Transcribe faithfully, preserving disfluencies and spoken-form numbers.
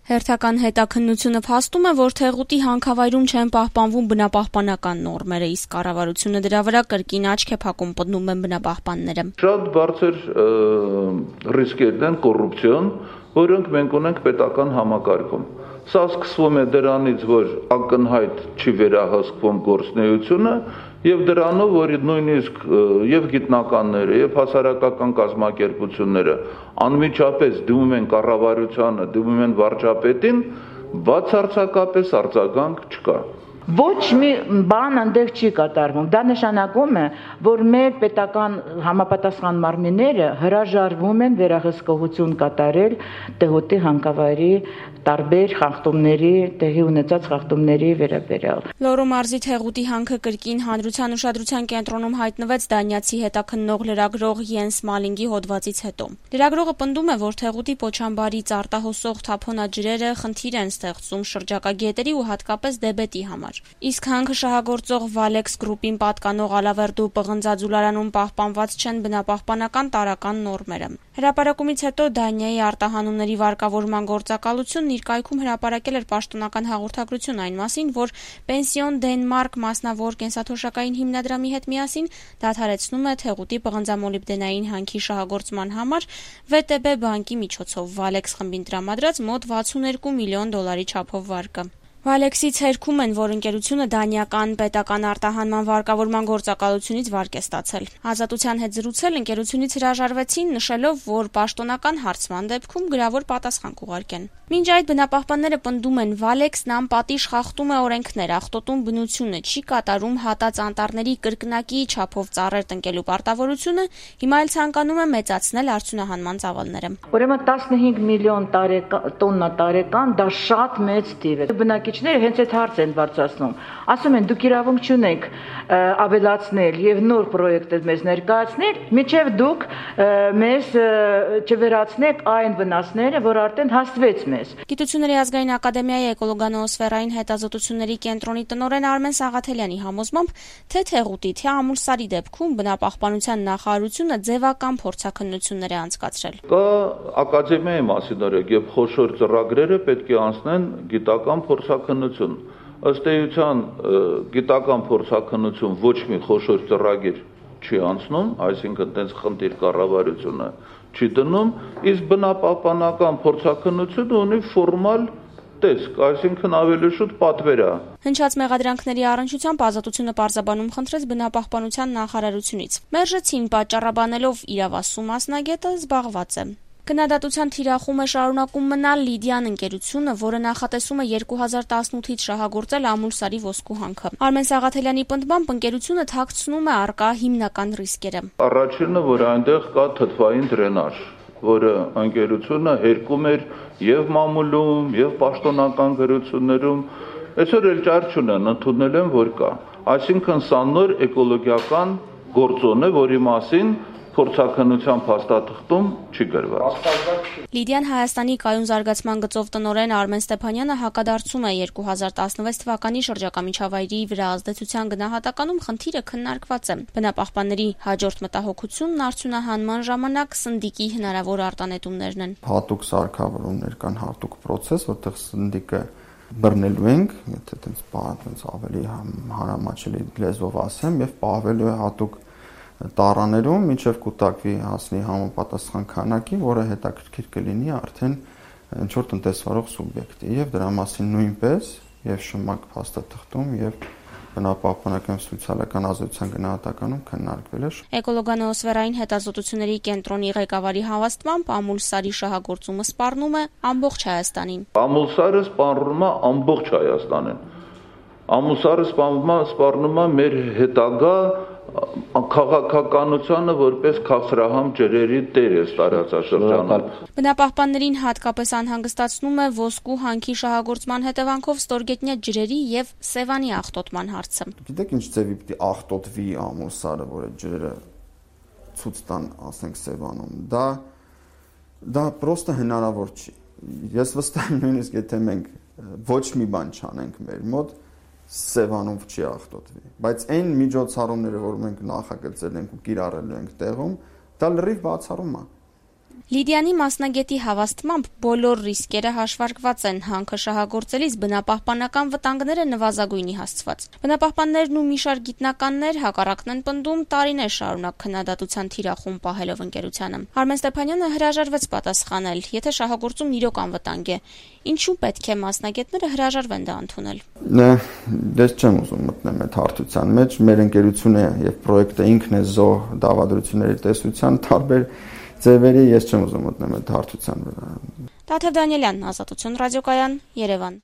Հերթական հետաքննությունը փաստում է, որ Թեղուտի հանքավայրում չեն պահպանվում բնապահպանական նորմերը, իսկ կառավարությունը դրա վրա կրկին աչք է փակում, պնդում են բնապահպանները։ Շատ բարձր ռիսկերն են կոռուպցիոն, որոնք մենք ունենք պետական համակարգում։ Սա սկսվում է դրանից, որ ակնհայտ չի վերահսկվում գործունեությունը եւ դրանով, որ նույնիսկ եւ գիտնականները եւ հասարակական կազմակերպությունները անմիջապես դիմում են կառավարությանը, դիմում են վարչապետին, բացարձակապես արձագանք չկա։ Ոչ մի բան այնտեղ չի կատարվում։ Դա նշանակում է, որ մեր պետական համապատասխան մարմինները հրաժարվում են վերահսկողություն կատարել Թեղուտի հանքավայրի տարբեր խախտումների, տեղի ունեցած խախտումների վերաբերյալ։ Լոռու մարզի Թեղուտի հանքը կրկին հանրության ուշադրության կենտրոնում հայտնվեց դանիացի հետաքննող լրագրող Յենս Մալինգի հոդվածից հետո։ Լրագրողը պնդում է, որ Թեղուտի պոչամբարից արտահոսող թափոնաջրերը խնդիր են ստեղծում շրջակա գետերի ու հատկապես Դեբետի համար։ Իսկ հանքը շահագործող Valex Group-ին պատկանող Ալավերդու պղնձաձուլարանում պահպանված չեն բնապահպանական տարրական նորմերը։ Հրապարակումից հետո Դանիայի արտահանումների վարկավորման գործակալությունն իր կայքում հրապարակել էր պաշտոնական հաղորդագրություն այն մասին, որ Պենսիոն Դենմարկ մասնավոր կենսաթոշակային հիմնադրամի հետ միասին դադարեցնում է Թեղուտի պղնձամոլիբդենային հանքի շահագործման համար վե տե բե բանկի միջոցով Valex խմբին տրամադրած մոտ վաթսունհինգ միլիոն դոլարի չափով վարկը։ Վալեքսից հերքում են, որ ընկերությունը դանիական պետական արտահանման վարկավորման գործակալությունից վարկ է ստացել։ Ազատության հետ զրուցել ընկերությունից հրաժարվեցին, նշելով, որ պաշտոնական հարցման դեպքում գրավոր պատասխան կուղարկեն։ Մինչ այդ բնապահպանները պնդում են, Վալեքսն անպատիժ խախտում է օրենքներ, աղտոտում բնությունը, չի կատարում հատած անտառների կրկնակի չափով ծառեր տնկելու պարտավորությունը, հիմա էլ ցանկանում է մեծացնել արդյունահանման ծավալները։ Ուրեմն տասնհինգ միլիոն տոննա տարեկան դա շատ մեծ թիվ է։ Բնակիչները հենց այդ հարցը են բարձրացնում։ Ասում են, դուք իրավունք չունեք ավելացնել եւ նոր պրոյեկտներ մեզ ներկայացնել, միջև դուք մեզ չվերացնեք այն վնասները, որ արդեն հաստվեց մեզ։ Գիտությունների ազգային ակադեմիայի էկոլոգանոոսֆերային հետազոտությունների կենտրոնի տնօրեն Արմեն Սաղաթելյանի համոզմամբ, թե Թեղուտի, թե Ամուլսարի դեպքում բնապահպանության նախարարությունը ձևական փորձաքննություններ է անցկացրել։ Կա ակադեմիայի մասին օրենք եւ խոշոր ծրագրերը պետք է անցնեն գիտական փորձաքննություն։ Ըստ էության գիտական փորձաքննություն ոչ մի խոշոր ծրագիր չի անցնում, այսինքն տենց խնդիր կառավարությունը չի դնում, իսկ բնապահպանական փորձաքննությունը ունի ֆորմալ տեսք, այսինքն ավելի շուտ պատվեր է։ Հնչած մեղադրանքների առնչությամբ Ազատությունը պարզաբանում խնդրեց բնապահպանության նախարարությունից։ Մերժեցին, պատճառաբանելով իրավասու մասնագետը զբաղված է։ Քննադատության թիրախում է շարունակում մնալ Լիդիան ընկերությունը, որը նախատեսում է երկու հազար տասնութից շահագործել Ամուլսարի ոսկու հանքը։ Արմեն Սաղաթելյանի պնդմամբ ընկերությունը թաքցնում է առկա հիմնական ռիսկերը։ Առաջինը, որ այնտեղ կա թթվային դրենաժ, որը ընկերությունը հերկում էր եւ մամուլում, եւ պաշտոնական գրություններում, այսօր էլ ճար չունեն, ընդունել են, որ կա։ Այսինքն սա նոր էկոլոգիական գործոն է, որի մասին փորձաքննության փաստաթղթում չի գրված։ Լիդիան Հայաստանի կայուն զարգացման գծով տնօրեն Արմեն Ստեփանյանը հակադարձում է երկու հազար տասնվեց թվականի շրջակա միջավայրի վրա ազդեցության գնահատականում խնդիրը քննարկված է։ Բնապահպանների հաջորդ մտահոգությունն արդյունահանման ժամանակ սնդիկի հնարավոր արտանետումներն են։ Հատուկ սարքավորումներ կան, հատուկ process, որտեղ սնդիկը բռնելու ենք, եթե այդպես բառից ավելի հանրամատչելի լեզվով ասեմ, եւ պահվելու է հատուկ տարաներում, մինչև կուտակվի հասնի համապատասխան քանակի, որը հետաքրքիր կլինի արդեն ինչ-որ տնտեսվարող սուբյեկտի, եւ դրա մասին նույնպես եւ շմակ փաստաթղթում եւ բնապահպանական սոցիալական ազդեցության գնահատականում քննարկվել է։ Էկոլոգանոոսֆերային հետազոտությունների կենտրոնի ղեկավարի հավաստմամբ Ամուլսարի շահագործումը սպառնում է ամբողջ Հայաստանին։ Ամուլսարը սպառնում է ամբողջ Հայաստանին։ Ամուլսարը սպառնում է մեր հետագա քաղաքականությունը որպես քաղցրահամ ջրերի տեր է տարածաշրջանում։ Բնապահպաններին հատկապես անհանգստացնում է ոսկու հանքի շահագործման հետևանքով ստորգետնյա ջրերի եւ Սևանի աղտոտման հարցը։ Գիտեք ինչ ձևի պիտի աղտոտվի Ամուլսարը, որ այդ ջրերը ցույց տան, ասենք Սևանում։ Դա դա պրոստը հնարավոր չի։ Ես վստահ եմ նույնիսկ եթե մենք ոչ մի բան չանենք մեր մոտ Սևանով չի աղտոտվի, բայց այն միջոցառումները, որ մենք նախագծել ենք ու կիրառել ենք տեղում, դա լրիվ բացառում է։ Լիդիանի մասնագետի հավաստմամբ բոլոր ռիսկերը հաշվարկված են, հանքը շահագործելիս բնապահպանական վտանգները նվազագույնի հասցված։ Բնապահպաններն ու մի շարք գիտնականներ հակառակն են պնդում տարիներ շարունակ քննադատության թիրախում պահելով ընկերությանը։ Արմեն Ստեփանյանը հրաժարվեց պատասխանել, եթե շահագործումն իրոք անվտանգ է, ինչու պետք է մասնագետները հրաժարվեն դա ընդունել։ Ես չեմ ուզում մտնել այդ հարթության մեջ, մեր ընկերությունը եւ պրոյեկտը ինքն է զոհ դավադրությունների տեսության տարբեր ձևերի, ես չեմ ուզում մտնել այդ հարթության վրա։ Տաթև Դանիելյան, Ազատություն ռադիոկայան, Երևան։